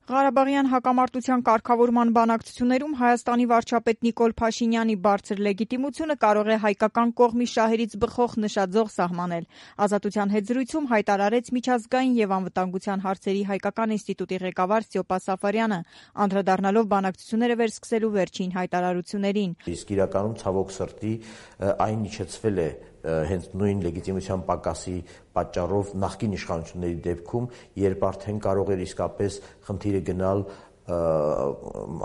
Ղարաբաղյան հակամարտության կարգավորման բանակցություններում Հայաստանի վարչապետ Նիկոլ Փաշինյանի բարձր լեգիտիմությունը կարող է հայկական կողմի շահերից բխող նշաձող սահմանել։ Ազատության հետ զրույցում հայտարարեց միջազգային եւ անվտանգության հարցերի հայկական ինստիտուտի ղեկավար Ստյոպա Սաֆարյանը, անդրադառնալով բանակցությունները վերսկսելու վերջին հայտարարություններին։ Իսկ իրականում ցավոք սրտի այն իջեցվել է հենց նույն լեգիտիմության պակասի պատճառով նախկին իշխանությունների դեպքում, երբ արդեն կարող էր իսկապես խնդիրը գնալ,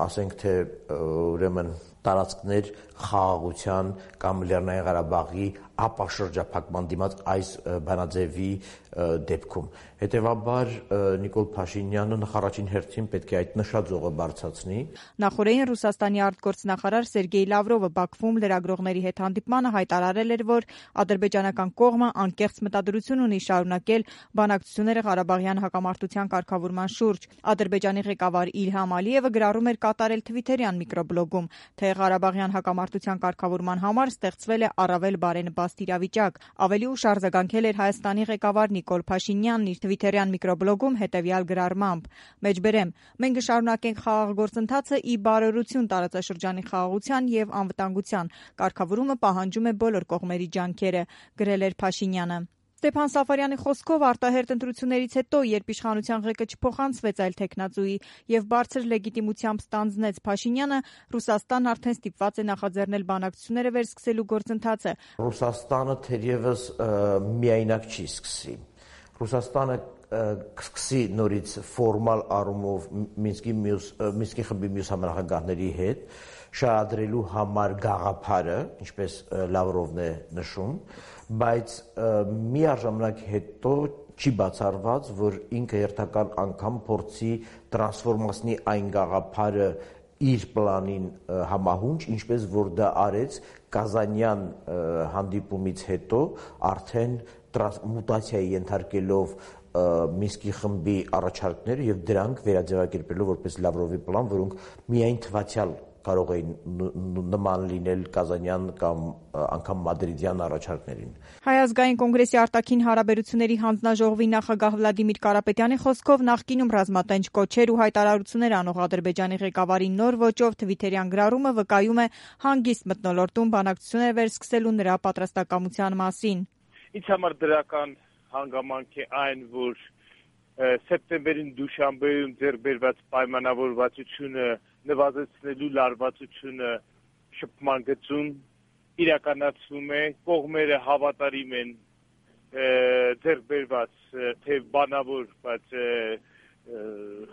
ասենք թե ուրեմն տարածքներ խաղաղության կամ Լեռնային Ղարաբաղի ապաշրջափակման դիմաց այս բանաձևի դեպքում։ Հետևաբար Նիկոլ Փաշինյանը նախ-առաջին հերթին պետք է այդ նշաձողը բարձրացնի։ Նախորդին Ռուսաստանի արտգործնախարար Սերգեյ Լավրովը Բաքվում լրագրողների հետ հանդիպմանը հայտարարել էր, որ ադրբեջանական կողմը անկեղծ մտադրություն ունի շարունակել բանակցությունները Ղարաբաղյան հակամարտության կարգավորման շուրջ։ Ադրբեջանի ղեկավար Իլհամ Ալիևը գրառում էր կատարել Թվիթերյան միկրոբլոգում, թե Ղարաբաղյան հակամարտության կարգավորման համար ստեղծվել է առավել բարենպաստ իրավիճակ։ Ավելի ուշ արձագանքել էր Հայաստանի ղեկավար Նիկոլ Փաշինյանն իր Թվիթերյան միկրոբլոգում հետևյալ գրառմամբ. «Մեջբերեմ, մենք կշարունակենք խաղաղ գործընթացը ի բարօրություն տարածաշրջանի խաղաղության եւ անվտանգության։ Կարգավորումը պահանջում է բոլոր կողմերի ջանքերը», գրել էր Փաշինյանը։ Ստեփան Սաֆարյանի խոսքով արտահերթ ընտրություններից հետո, երբ իշխանության ղեկը չփոխանցվեց այլ թեկնածուի եւ բարձր լեգիտիմությամբ ստանձնեց Փաշինյանը, Ռուսաստանն արդեն ստիպված է նախաձեռնել բանակցությունները վերսկսելու գործընթացը։ Ռուսաստանը թերևս միայնակ չի սկսի։ Ռուսաստանը կսկսի նորից ֆորմալ առումով Մինսկի խմբի մյուս համանախագահների հետ շահադրելու համար գաղափարը, ինչպես Լավրովն է նշում, բայց միաժամանակ հետո չի բացառված, որ ինքը հերթական անգամ փորձի տրանսֆորմացնի այն գաղափարը իր պլանին համահունչ, ինչպես որ դա արեց Կազանյան հանդիպումից հետո արդեն մուտացիայի ենթարկելով Մինսկի խմբի առաջարկները եւ դրանք վերաձևակերպելով որպես Լավրովի պլան, որոնք միայն թվացial կարող էին նման լինել Կազանյան կամ անգամ Մադրիդյան առաջարկներին։ Հայ ազգային կոնգրեսի արտաքին հարաբերությունների հանձնաժողովի նախագահ Վլադիմիր Կարապետյանի խոսքով նախկինում ռազմատենչ կոչեր ու հայտարարություններ անող Ադրբեջանի ղեկավարի նոր ոճով Թվիթերյան գրառումը վկայում է հանգիստ մթնոլորտում բանակցություններ վերսկսելու նրա պատրաստակամության մասին։ Ինձ համար դրական հանգամանք է այն, որ սեպտեմբերին Դուշանբեում ձեռքբերված պայմանավորվածությունը նվազեցնելու լարվածությունը շփման գծում իրականացվում է, կողմերը հավատարիմ են ձեռքբերված թե բանավոր, բայց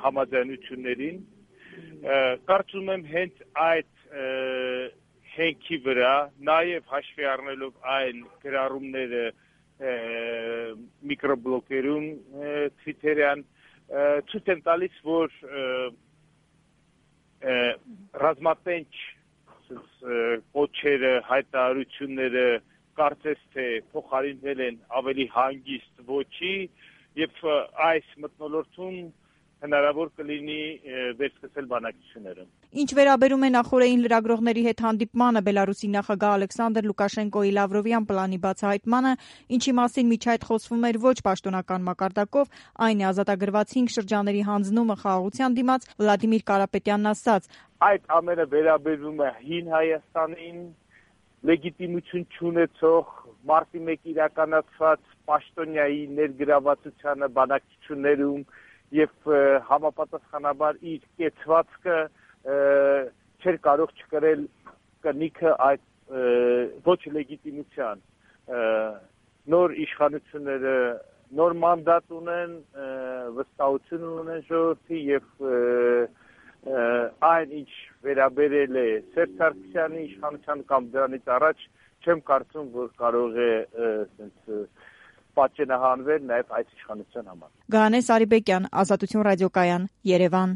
համաձայնություններին։ Կարծում եմ հենց այդ հենքի վրա, նաև հաշվի առնելով այն գրառումները միկրոբլոգերում Թվիթերյան ցույց են տալիս, որ ռազմատենչ կոչերը, հայտարարությունները կարծես թե փոխարինվել են ավելի հանգիստ ոճի եւ այս մթնոլորտում հնարավոր կլինի վերսկսել բանակցությունները։ Ինչ վերաբերում է նախորդին լրագրողների հետ հանդիպմանը, Բելարուսի նախագահ Ալեքսանդր Լուկաշենկոյի Լավրովյան պլանի բացահայտմանը, ինչի մասին միջ այդ խոսվում էր ոչ պաշտոնական մակարդակով, այն է ազատագրված 5 շրջանների հանձնումը խաղաղության դիմաց, Վլադիմիր Կարապետյանն ասաց. Այդ ամենը վերաբերվում է հին Հայաստանին, լեգիտիմություն չունեցող մարտի 1 իրականացված պաշտոնյայի ներգրավվածությանը բանակցություններում եւ համապատասխանաբար իր կեցվածքը չէր կարող չկրել կնիքը այդ ոչ լեգիտիմության։ Նոր իշխանությունները նոր մանդատ ունեն, վստահություն ունեն ժողովրդի եւ այն ինչ վերաբերել է Սերժ Սարգսյանի իշխանության կամ դրանից առաջ չեմ կարծում, որ կարող է պատճենահանվել նաև այս իշխանության համար։ Գայանե Սարիբեկյան, Ազատություն ռադիոկայան, Երևան։